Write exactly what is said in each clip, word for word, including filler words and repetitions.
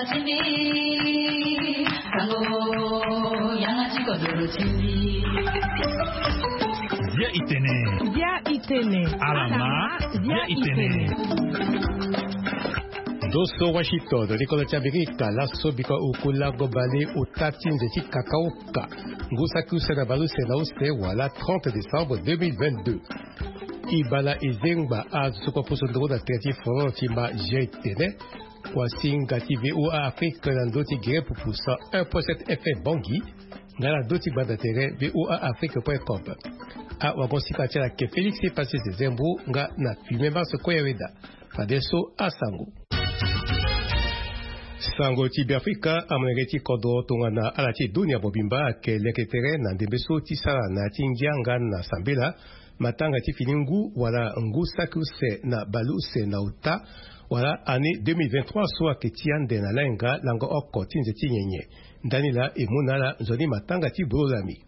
Bia itene. Bia itene. Alama. Bia itene. Ndo so Washington, likolo ti Amerika, laso biko oku lango bale ota ti nze ti kakaoka. Ngu saki use na baleuse na use wala trente décembre deux mille vingt-deux. Ibala ezengba azo so kue poso ndongo na tere ti foro ti ma G T N. Kuasinga ti V O A Afrique na ndö ti gere pupu cent un point sept F M Bangui, nga na ndö ti gbanda tere V O A Afrique point com. Awagon sika ti ala ke Félix Passé Zezembo nga na Filme Mars Koyaweda. Fadeso asango. Sango ti Beafrika, amolenge ti kodro tongana ala ti dunia mobimba ayeke leke tere na ndembe so ti sara na ya ti ngia nga na sambela, matanga ti fini ngu wala ngu saki use na baleuse na ota, wala année deux mille vingt-trois so ayeke ti ande na lahinga lango oko ti nze ti nyenye. Ndani laa e mu na ala nzoni matanga ti bolo lami.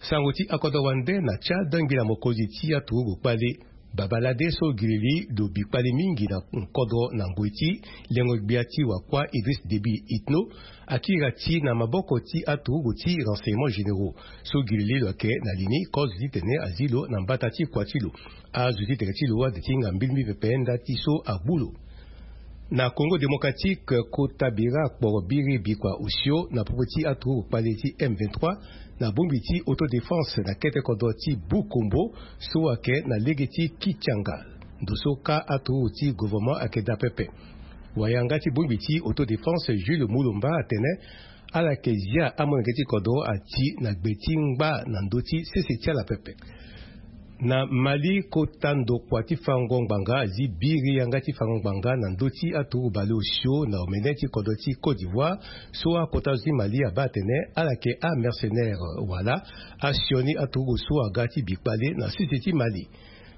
Sango ti akodro wande na Tchad, ngbila mokonzi ti aturugu kpale, Babalade so gilili lo bi kpale mingi na nkodro na ngoi ti lengo gbia ti wakua Idriss Déby Itno, akiri ti na maboko ti aturugu ti renseignements généraux so gilili lo yeke na li ni kozo titene azi lo na mbata ti kua ti lo. Azo ti tere ti lo ade ti hinga mbilimbili pepe nda ti so agbu lo. Na Congo Démocratique, kota bira akporo biri bikua osio na popo ti aturugu kpale ti M vingt-trois na bongbi ti autodéfense na kete kodro ti Bukombo so ayeke na lege ti Kichanga. Ndo so ka aturugu ti gouvernement ayeke daa pepe. Wayanga ti bongbi ti autodéfense Jules Mulumba atene ala yeke zia amolenge ti kodro ati na gbe ti ngba na ndö ti sese ti ala pepe. Na Mali, kota ndokua ti fango ngbanga azi biri yanga ti fango ngbanga na ndö ti aturugu baleuse na omene ti kodro ti Côte d'Ivoire, so akota zo ti Mali abaa atene ala yeke amercenaire wala asioni aturugu so aga ti bi kpale na sese ti Mali.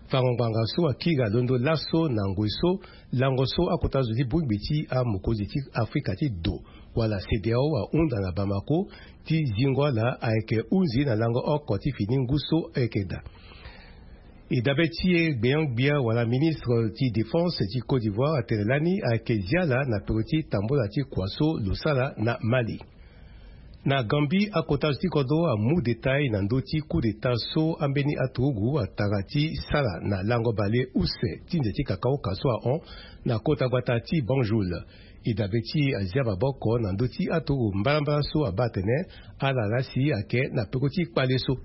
Fango ngbanga so akiri alondo laso na ngoi so lango so akota zo ti bongbi ti amokonzi ti Afrika ti do wala CEDEAO ahunda na Bamako ti zingo ala ayeke hunzi na lango oko ti fini ngu so ayeke daa. E dabe ti e gbenyo-gbia wala ministre ti défense ti Côte d'Ivoire atene lani ayeke zi ala na peko ti tambola ti kua so lo sara na Mali. Na Gambie, akota zo ti kodro amu détail na ndö ti coup d'état so ambeni aturugu atara ti sara na lango baleuse ti nze ti kakaoka so ahon na kota gbata ti Banjul. E dabe ti e azia maboko na ndö ti aturugu mbalambala so abaa atene ala laa si ayeke na peko ti kpale so.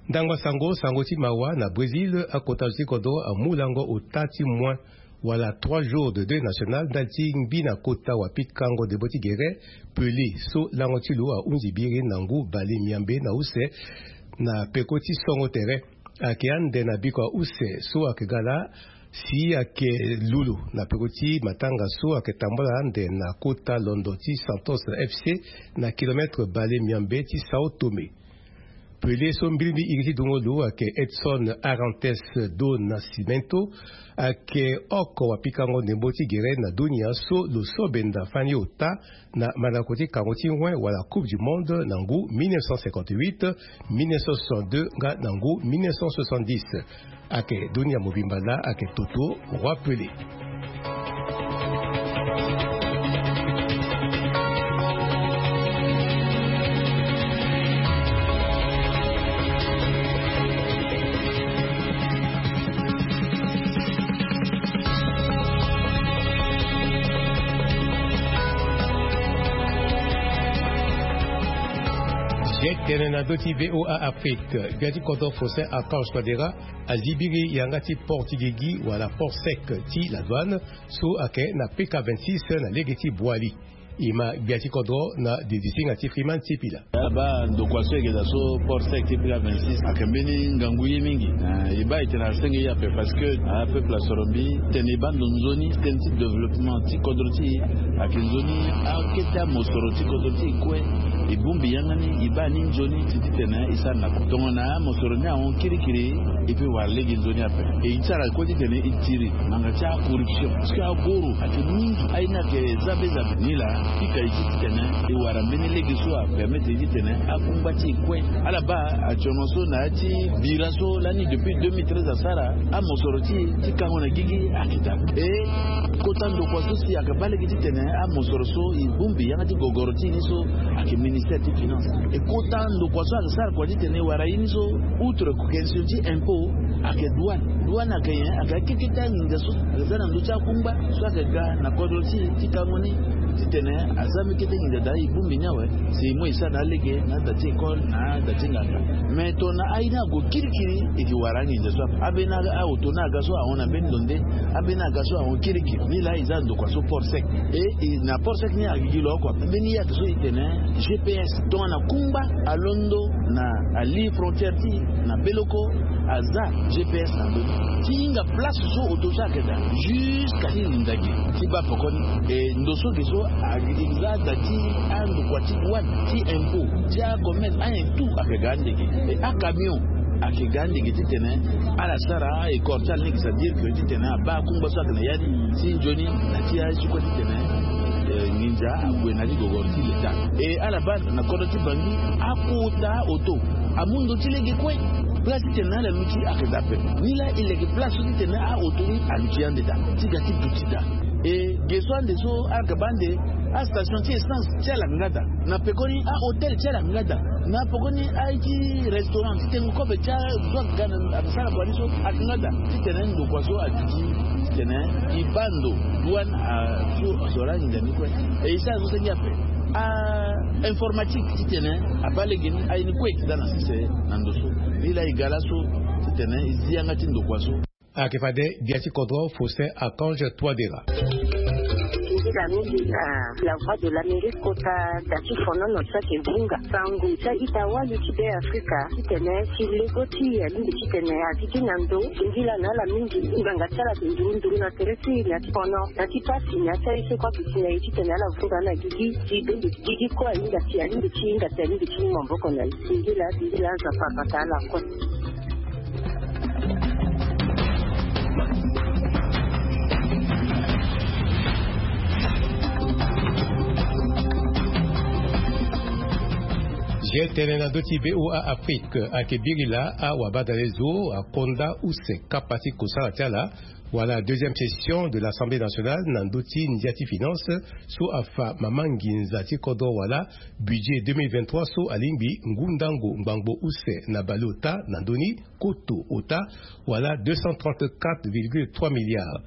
Ndangba sango, sango ti mawa na Brésil, akota zo ti kodro amu lango ota ti moins wala trois jours de deuil national ndali ti ngbi na kota wapikango ndembo ti gere Pelé so lango ti lo ahunzi biri na ngu bale miambe na use na peko ti songo tere. Ayeke ande na bikua use so ayeke ga laa si ayeke lulu na peko ti matanga so ayeke tambula ande na kota londo ti Santos F C na kilomètre bale miambe ti Sao Tome. Pelé so mbirimbi iri ti dungo lo ayeke Edson Arantes do Nascimento, ayeke oko wapikango ndembo ti gere na dunia so lo so benda fani ota na mandako ti kango ti wen wala Coupe du Monde na ngu mille neuf cent cinquante-huit, mille neuf cent soixante-deux nga na ngu mille neuf cent soixante-dix. Ayeke dunia mobimba laa ayeke toto Roi Pelé. Ge tene na ndö ti V O A Afrique, gbia ti kodro Faustin Archange Touadéra azi biri yanga ti port ti gigi wala port sec ti la douane so ayeke na P K vingt-six na lege ti Boali. E ma gbia ti kodro na didisinga ti Freeman Sipila. Abaa ndokua so e yeke daa so port sec ti P K vingt-six ayeke mbeni ngangu ye mingi. Eh, e baa e tene asenge ye ape parce que apeuple asoro mbi tene e baa ndo nzoni tënë ti développement ti kodro ti e ayeke nzoni akete amosoro ti kodro ti e kue. E bongbi yanga ni, e baa ni nzoni ti titene e sara na kue. Tongana amosoro ni ahon kirikiri, e pe wara lege nzoni ape. E sara kue titene e tiri ngbanga ti acorruption, parce que agoro ayeke mingi. Aye ni ayeke za be za be. Nilaa pika e ti titene e wara mbeni lege so apermettre e titene akungba ti e kue. Ala baa atono so na ya ti bira so lani depuis deux mille treize asara, amosoro ti e ti kango na gigi ayeke daa. E kota ndokua so si ayeke baa lege titene amosoro so e bongbi yanga ti gogoro ti e ni so ayeke ministère ti finance. E kota ndokua so ayeke sara kua titene e wara ye ni so, outre question ti impôt, ayeke douane. Douane ayeke nyen? Ayeke akekete anginza so ayeke za na ndö ti akungba so ayeke ga na kodro ti e ti kango ni, titene aza mbeni kete nginza daa e bongbi ni awe. Si e mu e sara na alege na ada ti école na ada ti nganga. Mais tongana aye ni ague kirikiri, e ke wara anginza so ape. Ambeni aoto ni aga so ahon na mbeni ndo nde, ambeni aga so ahon kirikiri. Nilaa e za na ndokua so port sec. E, e na port sec ni agigi lo oko ape. Mbeni ye ayeke so e tene G P S. Tongana kungba alondo na ali frontière ti e na beloko, aza G P S na ndö ni ti hinga place so oto so ayeke daa. Jusqu'à ti linda gi ti baa pekoni. E ndo so ge so agi za da ti andokua ti douane, ti impôt, ti acommerce, ayen tout ayeke ga andege. E acamion ayeke ga andege titene ala sara école ti ala ni, c'est-à-dire que titene abaa akungba so ayeke na ya ni ti nzoni na ti aye ti kue titene, eh, nginza ague na ya ti gogoro ti leta. E ala baa na kodro ti Bangui, akota oto amu ndo ti lege kue. Place titene ala luti ayeke daa pepe. Nilaa e leke place so titene aoto ni aluti ande daa ti ga ti duti daa. E ge so ande so ala yeke baa ande, astation ti essence ti ala yeke nga daa. Na pekoni ahôtel ti ala yeke nga daa. Na pekoni aye ti restaurant ti tengo kobe ti azo ayeke ga na, ayeke sara kua ni so ayeke nga daa. Titene ndokua so aduti titene e baa ndo douane, a so, so laa nginza ni kue. E e sara so senge ape. A informatique titene abaa lege ni, aye ni kue e yeke daa na sese na ndo so. Nilaa e ga laso titene e zi yanga ti ndokua so. Ayeke fade gbia ti kodro Faustin Archange Touadéra. Singila mingi na La Voix de l'Amérique kota da ti fonono so ayeke vunga sango ti a-ita wali ti Be Afrika titene ti lego ti e alingbi titene azi gi na ndo. Singila na ala mingi, ngbanga ti ala ayeke nduru nduru na tere ti e na ya ti fono, na ya ti pasi, na ya ti aye so kue aduti na e titene ala vunga na gigi ti be, gigi kue ahinga si alingbi ti hinga si alingbi ti mu maboko na e. Singila, singila, Nzapa abata ala kue. Ge tene na ndö ti V O A Afrique ayeke biri laa awabadalezo akonda use kapa ti kosara ti ala wala deuxième session de l'Assemblée nationale na ndö ti ndia ti finance so afa mama nginza ti kodro wala budget deux mille vingt-trois so alingbi ngu ndango ngbangbo use na bale ota na ndö ni koto ota wala deux cent trente-quatre virgule trois milliards.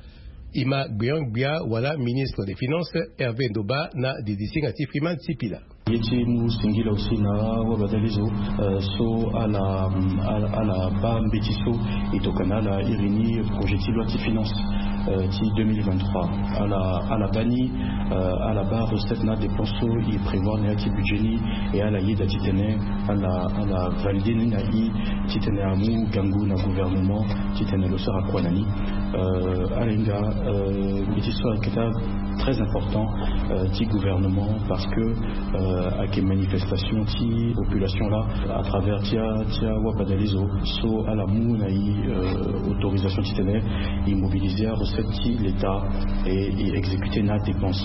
E ma gbeon-gbia wala ministre des finances Hervé Ndoba na didisinga ti Freeman Sipila. Ye ti mu singila aussi na wabadalezo, euh, so ala, ala, ala baa mbeti so e tokana ala iri ni projet ti loi ti finance, euh, ti deux mille vingt-trois. Ala, ala baa ni, euh, ala baa recette na dépense so e prévoir na ya ti budget ni, e ala yeda titene ala, ala valider ni na e titene amu gango na gouvernement titene lo sara kua na ni. Euh, ala hinga, euh, mbeti so ayeke daa très important, euh, ti gouvernement parce que, euh, ayeke manifestation ti population laa à travers ti a, ti awabadalezo so ala mu na e, euh, autorisation titene e mobiliser arecette ti l'État et e exécuter na adépense.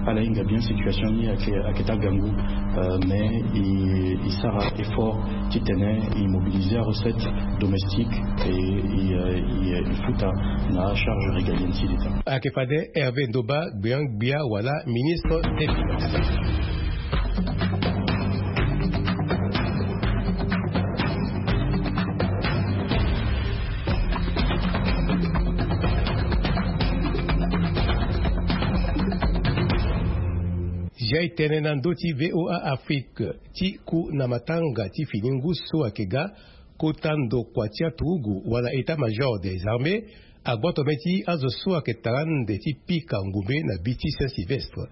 Ala hinga bien situation ni ayeke, ayeke daa gango, euh, mais e, e sara effort titene e mobiliser arecette domestique et e, euh, e, euh, e futa na charge régalienne ti l'État. Ayeke fade Hervé Ndoba, gbeon-gbia wala ministre des finances. Ge tene na ndö ti V O A Afrique, ti ku na matanga ti fini ngu so ayeke ga, kota ndokua ti aturugu wala état-major des armées agboto mbeti azo so ayeke tara ande ti pika ngombe na bi ti Saint-Sylvestre.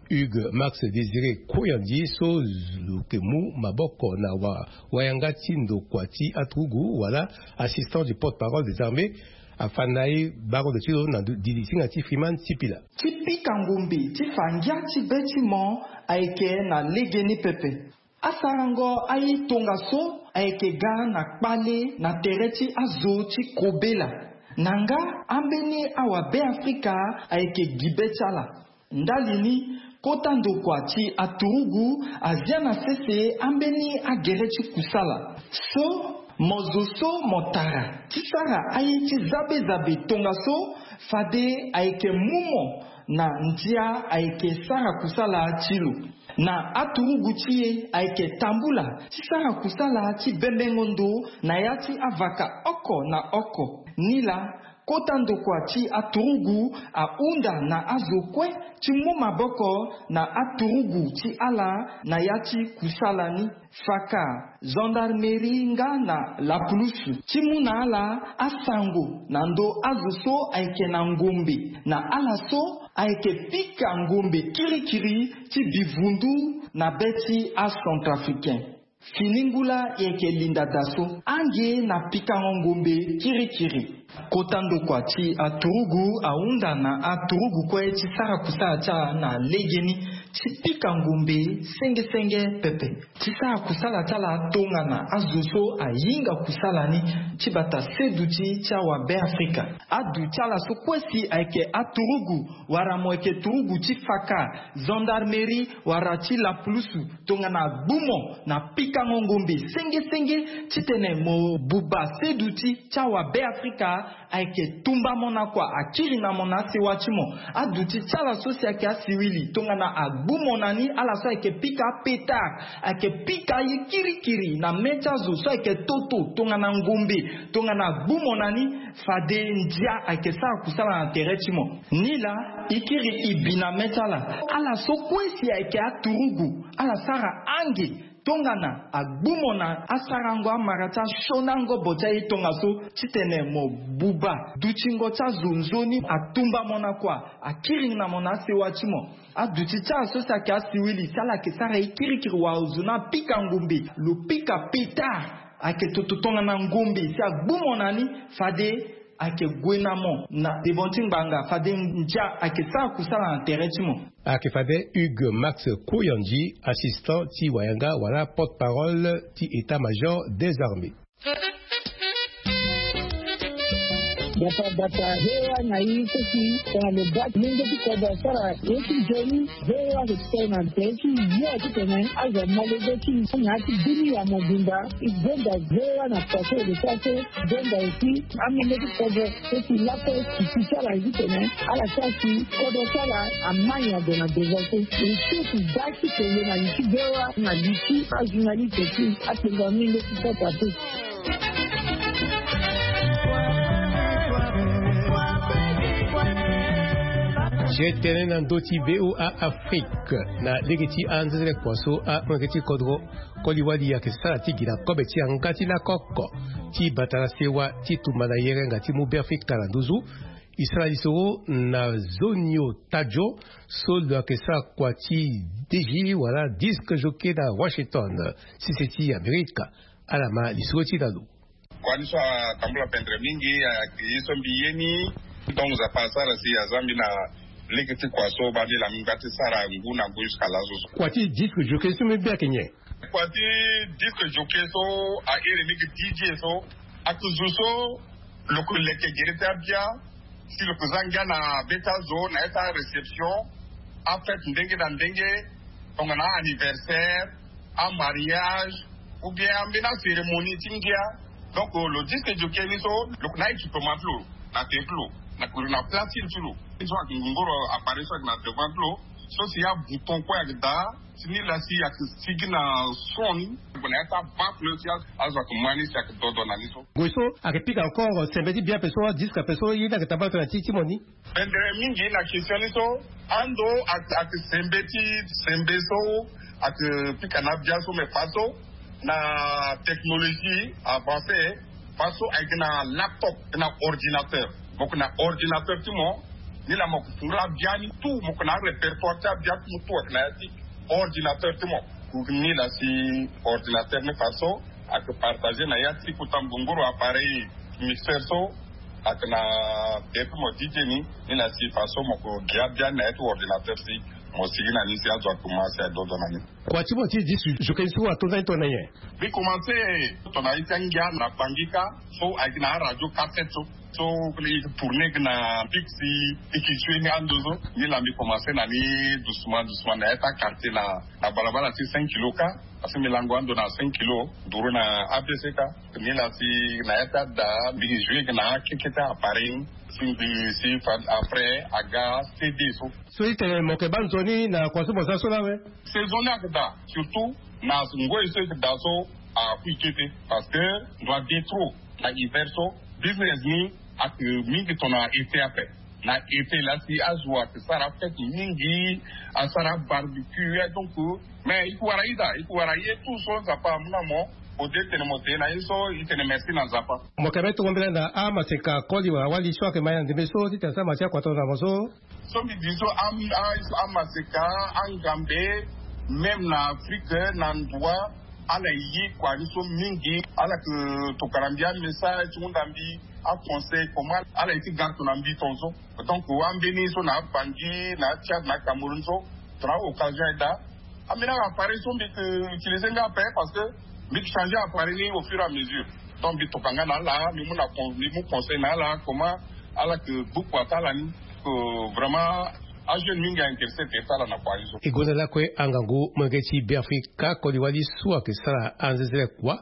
Hugues Max Désiré Koyandi so lo yeke mu maboko na wa, wayanga ti ndokua ti aturugu wala assistant du porte-parole des armées afa na e baro ndo ti lo na didisinga ti Freeman Sipila. Ti pika ngombe ti fa ngia ti be ti mo ayeke na legeni pepe. Asarango aye tongaso ayeke ga na kpale na tere ti azo ti kobela. Na nga, ambeni awabe afrika ayeke gi be ti ala. Ndali ni, kota ndokua ti aturugu azia na sese ambeni agere ti kusala. So mo zo so mo tara ti sara aye ti zabezabe tongaso, fade ayeke mu mo na ndia ayeke sara kusala ti lo. Na aturugu ti e ayeke tambula ti sara kusala ti bembengo ndo na ya ti avaka oko na oko. Nilaa, kota ndokua ti aturugu ahunda na azo kue ti mu maboko na aturugu ti ala na ya ti kusala ni. Faka, gendarmerie nga na lapulusu ti mu na ala asango na ndo azo so ayeke na ngombe na ala so ayeke pika ngombe kirikiri ti bivundu na be ti acentrafricain. Fini ngula yeke linda daso ange na pikango ngombe kirikiri. Kota ndokua ti aturugu ahunda na aturugu kue ti sara kusala ti ala na legeni ti pika ngombe sengesenge pepe. Ti sara kusala ti ala tongana azo so ahinga kusala ni ti bata seduti ti awabe afrika. Aduti ala so kue si ayeke aturugu wala mo yeke turugu ti faka, gendarmerie wala ti lapulusu, tongana agbu mo na pikango ngombe sengesenge titene mo buba seduti ti awabe afrika, ayeke tumba mo na kua, akiri na mo na asewa ti mo. Aduti ti ala so si ayeke asiwili, tongana agbu mo na ni, ala so ayeke pika apeta, ayeke pika aye kirikiri na me ti azo so ayeke toto tongana ngombe, tongana agbu mo na ni, fade ndia ayeke sara kusala na tere ti mo. Nilaa, e kiri e bi na me ti ala. Ala so kue si ayeke aturugu, ala sara ange tongana agbu mo na asarango amara ti asioni angobo ti aye tongaso titene mo buba dutingo ti azo nzoni, atumba mo na kua, akiri na mo na asewa ti mo. Aduti ti ala so si ayeke asiwili si ala yeke sara ye kirikiri wala zo ni apika ngombe, lo pika peta, ayeke toto tongana ngombe si agbu mo na ni, fade ayeke gue na mo na devant ti ngbanga, fade ndia ayeke sara kusala na tere ti mo. Ayeke fade Hugues Max Koyandji, assistant ti wayanga wala porte-parole ti état-major des armées. Bata bata hewa na i so si tongana lo baa ti menge ti kodro asara ye ti nzoni. Hewa lo tene na tere ti yo titene azo amolenge ti i na ya ti bini ya mobimba. I gonda hewa na kua so lo sara so. Donda aussi amenge ti kodro so si lakue si ti sara ye titene ala sara si kodro ti ala amai ado na devant so. E so si da ti tene na li ti hewa na li ti ajournaliste ti atengo amenge ti kota so. Ti tene na ndö ti V O A Afrique na lege ti anzenzele kua so amolenge ti kodro koli wali ayeke sara ti gi na kobe ti yanga ti lako oko ti bata na sewa ti tumba na yerenga ti mu Beafrika na nduzu. E sara lisoro na Zonio Tadjo so lo yeke sara kua ti D J wala disque jockey na Washington, sese ti Amerika. Ala ma lisoro ti na lo. Kua ni so atambula pendere mingi, ayeke ye so mbi ye ni. Tongo nzapa asara si aza mbi na lege ti kua so baa mbi laa mbi ngba ti sara ngu na ngu jusqu'à laso so. Kua ti disque jockey so mbi be ayeke nyen? Kua ti disque jockey so a iri mingi D J so. Ayeke zo so lo yeke leke gere ti abia si lo yeke za ngia na be ti azo na ya ti aréception, afête ndenge na ndenge, tongana a-anniversaire, amariage, ou bien ambeni acérémonie ti ngia. Donc lo disque jockey ni so lo yeke na équipement ti lo na tere ti lo, na place ti lo. So ayeke ngongoro appareil so ayeke na devant ti lo, so si abouton kue ayeke daa. Si ni laa si ayeke sigi na son ni, gue na ya ti abafle si azo ayeke mu ni si ayeke dodo na ni so. Gue so ayeke pika encore sembe ti bia ape so, disque ape so ye ni ayeke tambala tongana ti ti mo ni. Pendere mingi na question ni so, ando ayeke sembe ti sembe so ayeke pika na abia so, mais faso na technologie avancée, faso ayeke na laptop, na ordinateur. Mo yeke na ordinateur ti mo, ni laa mo yeke fungula abia ni tout, mo yeke na arépertoire ti abia ti mo tout ayeke na ya ti ordinateur ti mo. Ni laa si ordinateur ni faso ayeke partager na ya ti kota ngongoro appareil mixeur so ayeke na tere ti mo D J ni. Ni laa si faso mo yeke gi abia ni na ya ti ordinateur si Mo sigi na ni si azo akuma si adodo na ni. Kua ti mo ti disu zo keni so atonda ni tongana nyen? Mbi komanse tongana ye ti angia na bangi kâ. So ayeke na aradio cassette so so e tourne na bik si e ke jue ni ando so. Ni laa mbi komanse na ni doucement doucement na ya ti akartier na na balabala ti cinq kilo kâ. Parce que mbi lango ando na cinq kilo nduru na abc kâ. Ni laa si na ya ti ada mbi ke jue na akeke ti appareil ni si mbi si fa après aga cd so. So i tene mo yeke baa nzoni na kua so mo za so laa awe? Saison ni ayeke daa surtout na ngoi so e yeke daa so. Akui kete parce que ndo ade trop na hiver so. Business ni ayeke mingi tongana été ape. Na été laa si azo ayeke sara fête mingi asara barbecue ya donc. Mais e ke wara ida e ke wara ye tout so nzapa amu na mo. Ode tene mo te na ye so e tene merci na nzapa. Mo yeke me tongo mbela na amaseka koli wala wali so ayeke ma ya ndembe so ti tene asara ma ti akua tongana mo so. So mbi di so amaseka angambe même na afrique na ndua ala ye kua ni so mingi ala ke tokana mbi amessage ti hunda mbi aconseil comment ala ye ti ga tongana mbi tongaso. Donc ambeni so na abangi na atchad na acameroun so tongana aoccasion aye daa. Ambeni aappareil so mbi ke utiliser nga ape parce que mbi ke changer appareil ni au fur et à mesure. Donc mbi toka nga na ala mbi mu na mbi mu conseil na ala comment ala ke gbu kua ti ala ni. Ke vraiment ajeune mingi ainteresse ti sara na kua ni so. E gonda lakue angangu molenge ti beafrika koli wali so ayeke sara anzenzele kua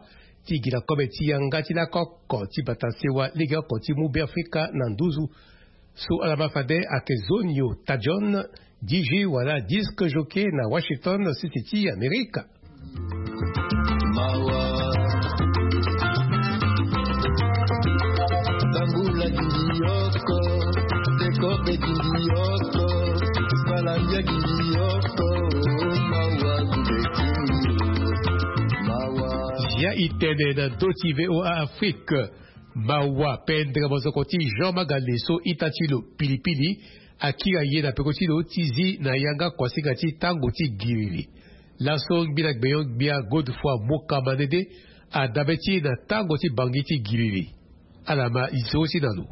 ti gi na kobe ti yanga ti lako oko ti bata sewa lege oko ti mu beafrika na nduzu. So ala ma fade ayeke zonio tadion dj wala disque jockey na washington sisi ti amerika. Mawa. Tambula gindi yoko. Tekobe gindi yoko. Balambia gindi yoko. Mawa gubeti. Mawa. Ya itene na do ti voa afrique. Mawa pendre mozoko ti jean magale so ita ti lo pilipili akiri aye na peko ti lo ti zi na yanga kuasinga ti tango ti giriri. Laso ngbila gbenyo-gbia godefroi moka manede adabe ti na tango ti bangi ti giriri. Ala ma liso ti na lo.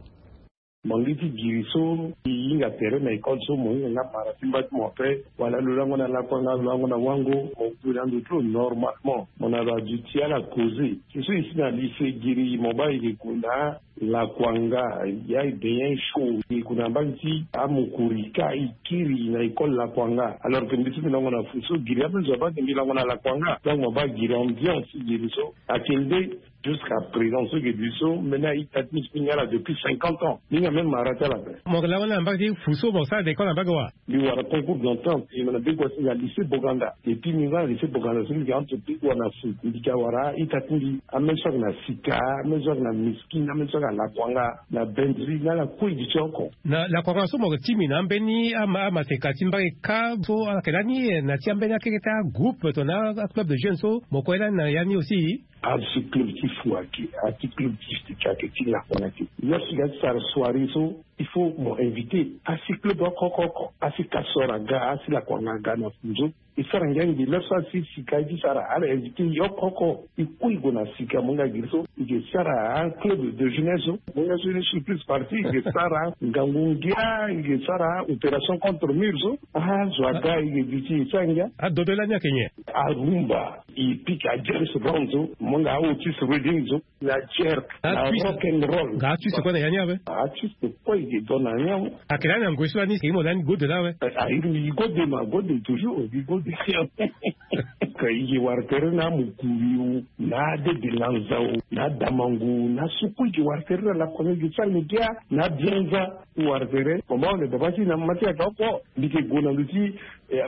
Bangi ti giri so e hinga tere na école so mo hinga nga mara ti mba ti mo après wala lo lango na lakua nga lo lango na wango mo gue na ndo ti lo normalement mo na lo aduti ala causer. Ti so e si na lycée giri mo baa e ke gue na lakuanga. Ya e bien chaud e gue na mbage ti amokori kâ e kiri na école lakuanga alors que mbi so mbi lango na fu so giri ape zo abaa ke mbi lango na lakuanga donc mo baa giri ambiance ti giri so. Ake nde jusqu'à présent so ke bi so mbeni a-ita ti mbi so mbi nga ala depuis cinquante ans mbi nga même mara ti ala ape. Mo ke lango na mbage ti fu so mo sara de école na mbage wa? Mbi wara concours d'entente e mo na bigua ti nga lycée boganda. Epui mbi nga na lycée boganda so mbi ke entre bigua na fu mbi ke awara a-ita ti mbi. Ame so ake na sika ame so ake na miskine ame so ake na lakuanga na bendri na ala kue e gi ti oko. Na lakuanga so mo ke ti mbi na ambeni amaseka ti mbage kâ so ala ke lani na ti ambeni akeke ti agroupe tongana aclub de jeune so mo kue lani na ya ni aussi. Asi club ti fu ake asi club ti sika ake ti lakuanga ake. Lo si ga ti sara soirée so il faut mo inviter asi club oko oko oko asi kasor aga asi lakuanga aga na fu so. E sara ngia ngi le so asi sika ye ti sara ala inviter ye oko oko. E kue e gue na sika mo nga giri so e ke sara aclub de jeunesse so mo nga so ni surprise partie e ke sara ngangu ngia e ke sara opération contre mur so. Azo aga e ke duti e sara ngia. Adodo lani ake nyen? Arumba. E pika jerks round so mo nga aotis reading so. Na jerk na rock and roll. Nga artiste kue na ya ni awe. Artiste kue e ke don na ya ni awe. Ake lani na ngoi so lani ke imo lani gode laa awe. Airi mbi gode ma gode toujours mbi gode. Ka e ke wara tere na amokuri o na adede lanza o na adamangu na so kue e ke wara tere na lakue e ke sara ngia na abianza. E wara tere mama one baba ti na mama ti aga oko. Mbi ke gue na ndo ti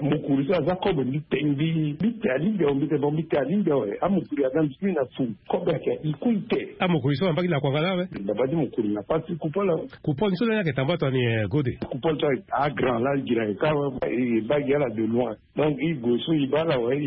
mokuri so aza kobe mbi te mbi mbi te alingbi awe mbi te bon mbi te alingbi awe amokuri aga mbi ti na fu. Kobe ayeke e kue e te. Amokuri so ambagi lakuanga laa awe. Baba ti mokuri na pasi kupol awe. Kupol ni so lani ayeke tambua tongani gode. Kupol so agrand laa gi na e kâ awe. E baa gi ala de loin. Donc e gue so e baa ala awe.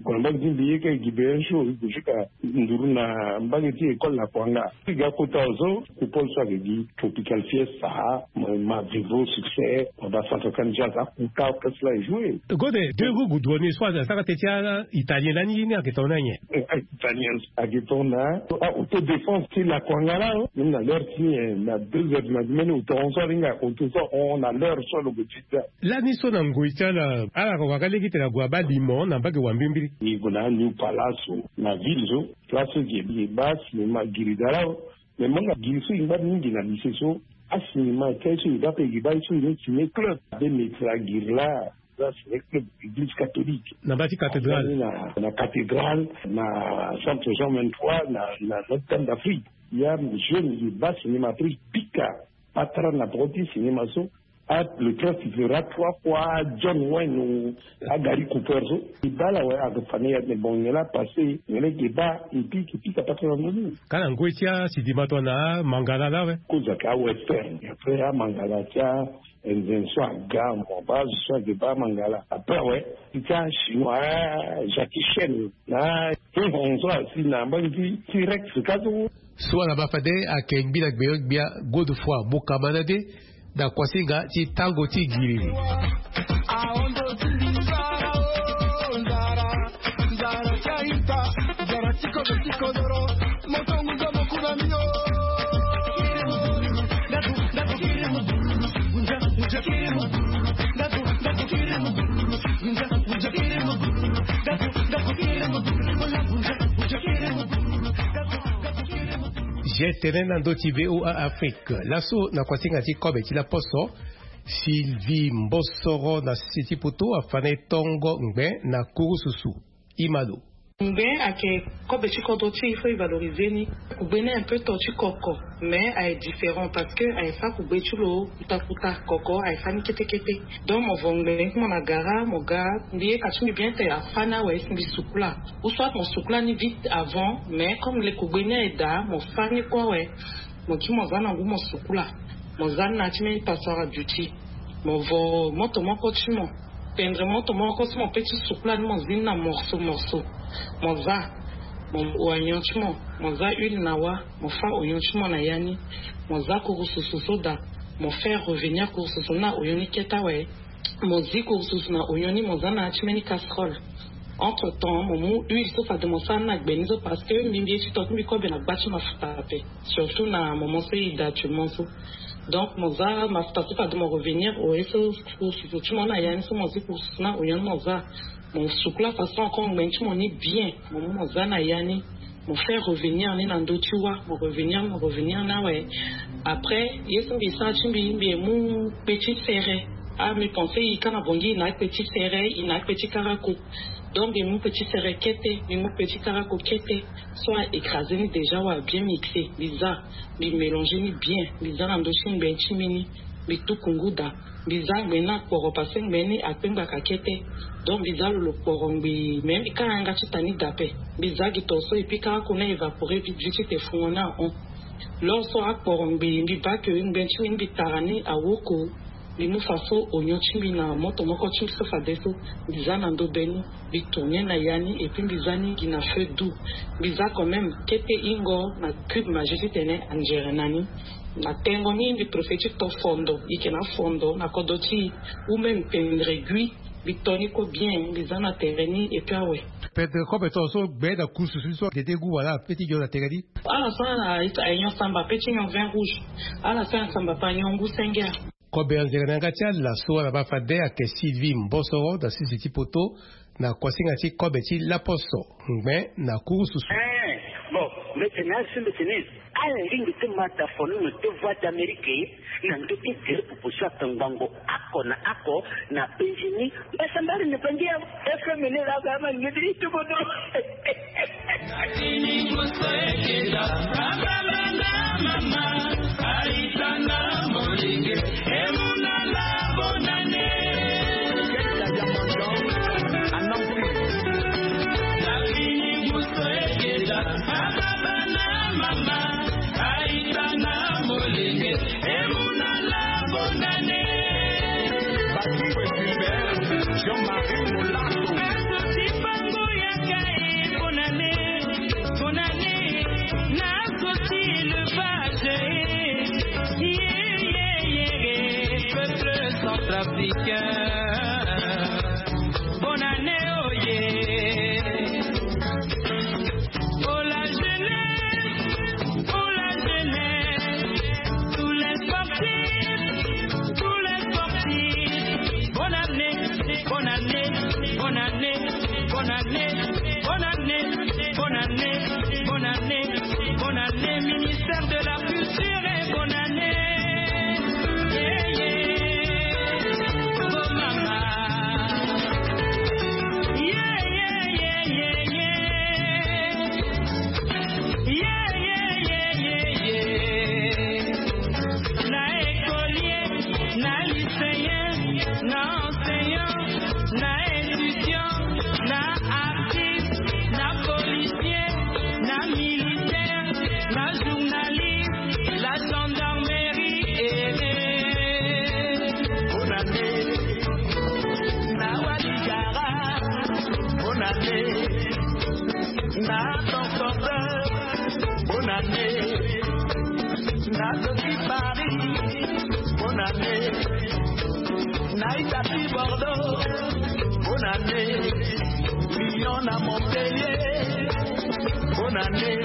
Kua na mbage ti mbi ye ka e gi be un jour e gue jusqu'à nduru na mbage ti école na kuanga. Ti ga kota so coupole so ayeke gi Tropical Fiesta, ma, ma vivo succès, ma ba centrafricaine jazz, akota orchestre la e jouer. Gode deux gu gu duo ni so asara teti a italien lani ye ni ayeke tongana nyen? Italien ayeke tongana autodéfense ti la kuanga la. Même na l'heure ti ni, na deux heures du matin, même auto so alinga auto so ahon na l'heure so alobo ti da. Lani so na ngoi ti ala ala wara lege tene ague abaa limo na mbage wa mbimbiri. E gue na New Palace so, na ville so, place so e baa cinéma giri da la. Mais manga giri so e ngba mingi na lycée so, acinéma ti aye so e baa pe e baa ye so e ciné club. Abe metra giri la, za ciné club église catholique. Na mbage ti cathédrale. Na cathédrale, na centre Jean vingt-trois, na Notre Dame d'Afrique. Ya jeune e baa cinéma, après e pika patara na poko ti cinéma so. Ah, le train sifflera trois fois, John Wayne ou Gary Cooper so. E baa la awe, ake fa na e atene bon, nyen la apasse, nyen la e ke baa, e pika, e pika patara na ndö ni. Ka na ngoi ti asidima tongana amangala la awe. Kozo ayeke awestern, après amangala ti anzen so aga, mo baa azo so ayeke baa amangala. Après awe, ti achinois, Jackie Chan na ahon so asi na mbage ti T-Rex ka so. So ala baa fade ayeke ngbi na gbenyo-gbia Godefroid Mukamanade na kuasinga ti tango ti giriri. G T N na ndö ti V O A Afrique. Laso na kuasinga ti kobe ti laposo, Sylvie Mbosoro na sese ti poto afa na e tongo ngbe na kurususu. Imalo. Ngbe ayeke kobe ti kodro ti e, il faut e valoriser ni. Kugbe ni un peu to ti koko, mais aye différent parce que aye fa kugbe ti lo kuta kuta. Koko aye fa ni kete kete. Donc mo vo ngbe ti mo na gara, mo ga, mbi ye ka ti mbi bien te afa ni awe si mbi sukula. Ou soit mo sukula ni vite avant, mais comme le kugbe ni aye daa, mo fa ni kue awe. Mo kiri mo za na ngu mo sukula. Mo za ni na ya ti mbeni passoire à duty. Mo vo moto moko ti mo, pendre moto moko ti mo pe ti sukula ni, mo zi ni na morceau morceau. Mo za, mo oignon ti mo, mo za huile na wâ, mo fa oignon ti mo na ya ni. Mo za kurususu so daa, mo faire revenir kurususu ni na oignon ni kete awe. Mo zi kurususu na oignon ni, mo za na ya ti mbeni casserole. Entre temps mo mu huile so fade mo sara ni na gbe ni so, parce que mbi mbi ye ti to ti mbi kobe na gba ti mafuta ape, surtout na moment so e daa actuellement so. Donc mo za mafuta so fade mo revenir au ye so kurususu ti mo na ya ni so, mo zi kurususu na oignon ni mo za. Mo sukula façon encore ngbe ti mo ni bien, mo mu mo za na ya ni. Mo fait revenir ni na ndö ti wâ, mo revenir, mo revenir ni awe. Après ye so mbi sara ti mbi, mbi ye mu petit sere. Ah, mbi pense e ka na Bangui e na petit sere, e na petit karako. Donc mbi ye mu petit sere kete, mbi mu petit karako kete. So a écraser ni déjà, wa bien mixer, mbi za, mbi mélanger ni bien, mbi za na ndö ti ngbe ti mbi ni, mbi tuku ngu daa. Mbi za ngbe ni akporo parce que ngbe ni akpengbaka kete. Donc mbi za lo lo kporo ngbii, mais mbi ka yanga ti ta ni daa ape. Mbi za gi to so et puis karako ni a évaporer vite vite ti te fungo ni ahon. L'heure so akporo ngbii, mbi baa que ngbe ti mbi ni mbi tara ni awoko. Mbi mu faso oignon ti mbi na moto moko ti mbi so fade so. Mbi za na ndo be ni, mbi tourner na ya ni et puis mbi za ni gi na feu doux. Mbi za quand même kete hingo na cube Maggi titene anzere na ni. Na tengo ni mbi préfère ti to fondo, e yeke na afondo na kodro ti e, ou même pendre gui. Mbi to ni kue bien, mbi za na tere ni et puis awe. Pendre kobe to so gbe na kurususu so gede gu wala pe ti nyon na tere ni. Ala so na aignon samba pe ti nyon vin rouge. Ala so na samba pe anyon ngu senge. Kobe anzere na yanga ti ala so ala baa fade ayeke Sylvie Mbosoro na sese ti poto na kuasinga ti kobe ti laposo ngbe na kurususu. Eh, bon, mbeti ni asi mbeti ni. Ala lingbi ti ma ta fono na te Voix d'Amérique na ndö ti gere popo so ata ngbongo oko na oko na penzi ni. Mbasambari na penzi ya F M ni la ga ma ngedi ti bodo. Jean-Marie Molato. Bonne année, oh yeah. Pour la jeunesse, pour la jeunesse, tous les sportifs, tous les sportifs. Bonne année, bonne année, bonne année, bonne année, bonne année, bonne année, bonne année, bonne année, ministère de la culture et bonne année. Yeah, yeah. Oh, mama. Yeah, yeah, yeah, yeah, yeah. Yeah, yeah, yeah, yeah, yeah. Na écolier, na lycéen, na enseignant, na étudiant, na artiste, na policier, na militaire, na journaliste, la gendarmerie et les... Bonne année, na Waligara, bonne année, na transporteur, bonne année, na Doki Paris, bonne année, na Itapi Bordeaux, bonne année, Lyon na Montpellier, bonne année,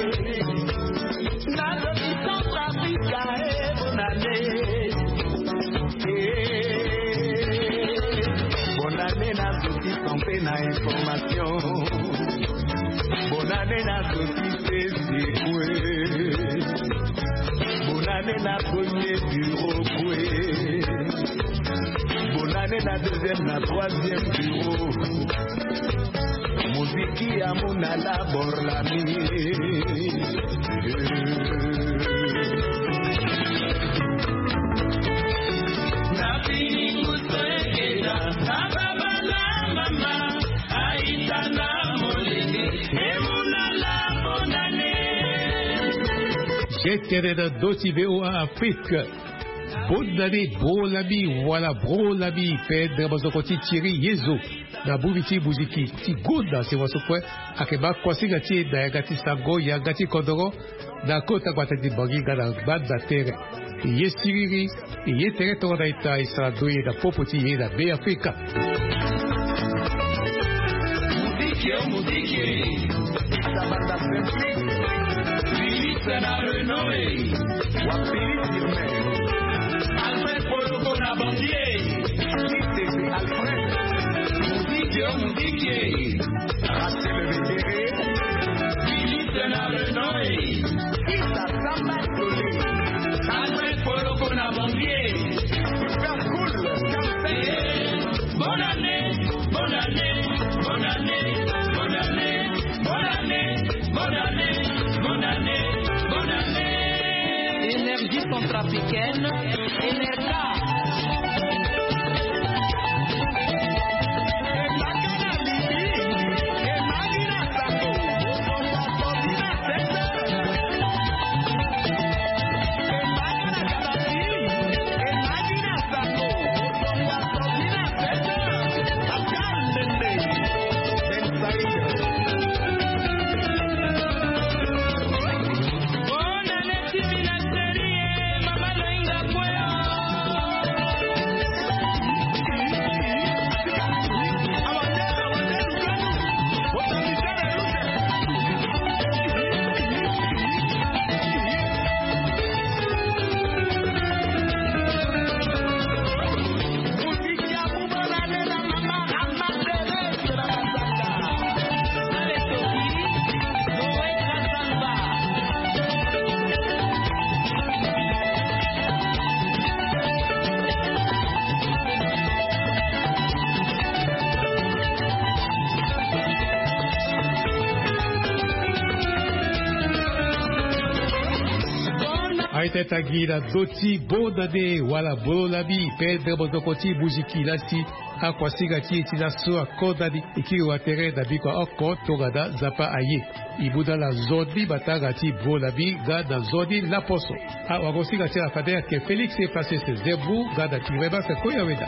na Doki Centrafrique, eh, bonne année. Eh, bonne année na Doki Santé na information. Bonne année na Doki Sesekwe. Bonne année na premier bureau kwe. Bonne année na deuxième, na troisième bureau. Muziki ya muna la borlami. Na pingu soekeda, na baba na mama, aita na molenge, e muna la bonane. Jetene na doti V O A Afrique. Bonne année, bro labi, wala bro labi, Pedre Bazoko ti Thierry Yezo. Na buri ti buziki ti gonda sewa so kue, ayeke baa kuasinga ti e na yanga ti sango, yanga ti kodoro, na kota gbata ti Bangui nga na gbanda tere. E ye siriri, e ye tere tongana ita e sara ndoye na popo ti e na Be Afrika. Muziki o muziki. Sabata Simplique. Philippe na Renault e. Wa Philippe Firmin. Alfred Poloko na Bandier. Tite Alfred. Muziki o muziki. Rachel Vettere. Philippe na Renault e. Tita Samba Tole. Alfred Poloko na Bandier. Super cool. Bonne année, bonne année, bonne année, bonne année, bonne année, bonne année, bonne année, bonne année. Énergie centrafricaine, N R K. Aita tangi na doti bonne année wala bro labi, Pedre Bozoko ti Buziki lasi. Akuasinga ti e ti laso akonda ni. E kiri wa tere na biko oko tongana Nzapa aye. E mu na ala nzoni matanga ti bro labi nga na nzoni laposo. Awagosinga ti ala fade ayeke Félix Efracius Zembu nga na Clémence Koyaweda.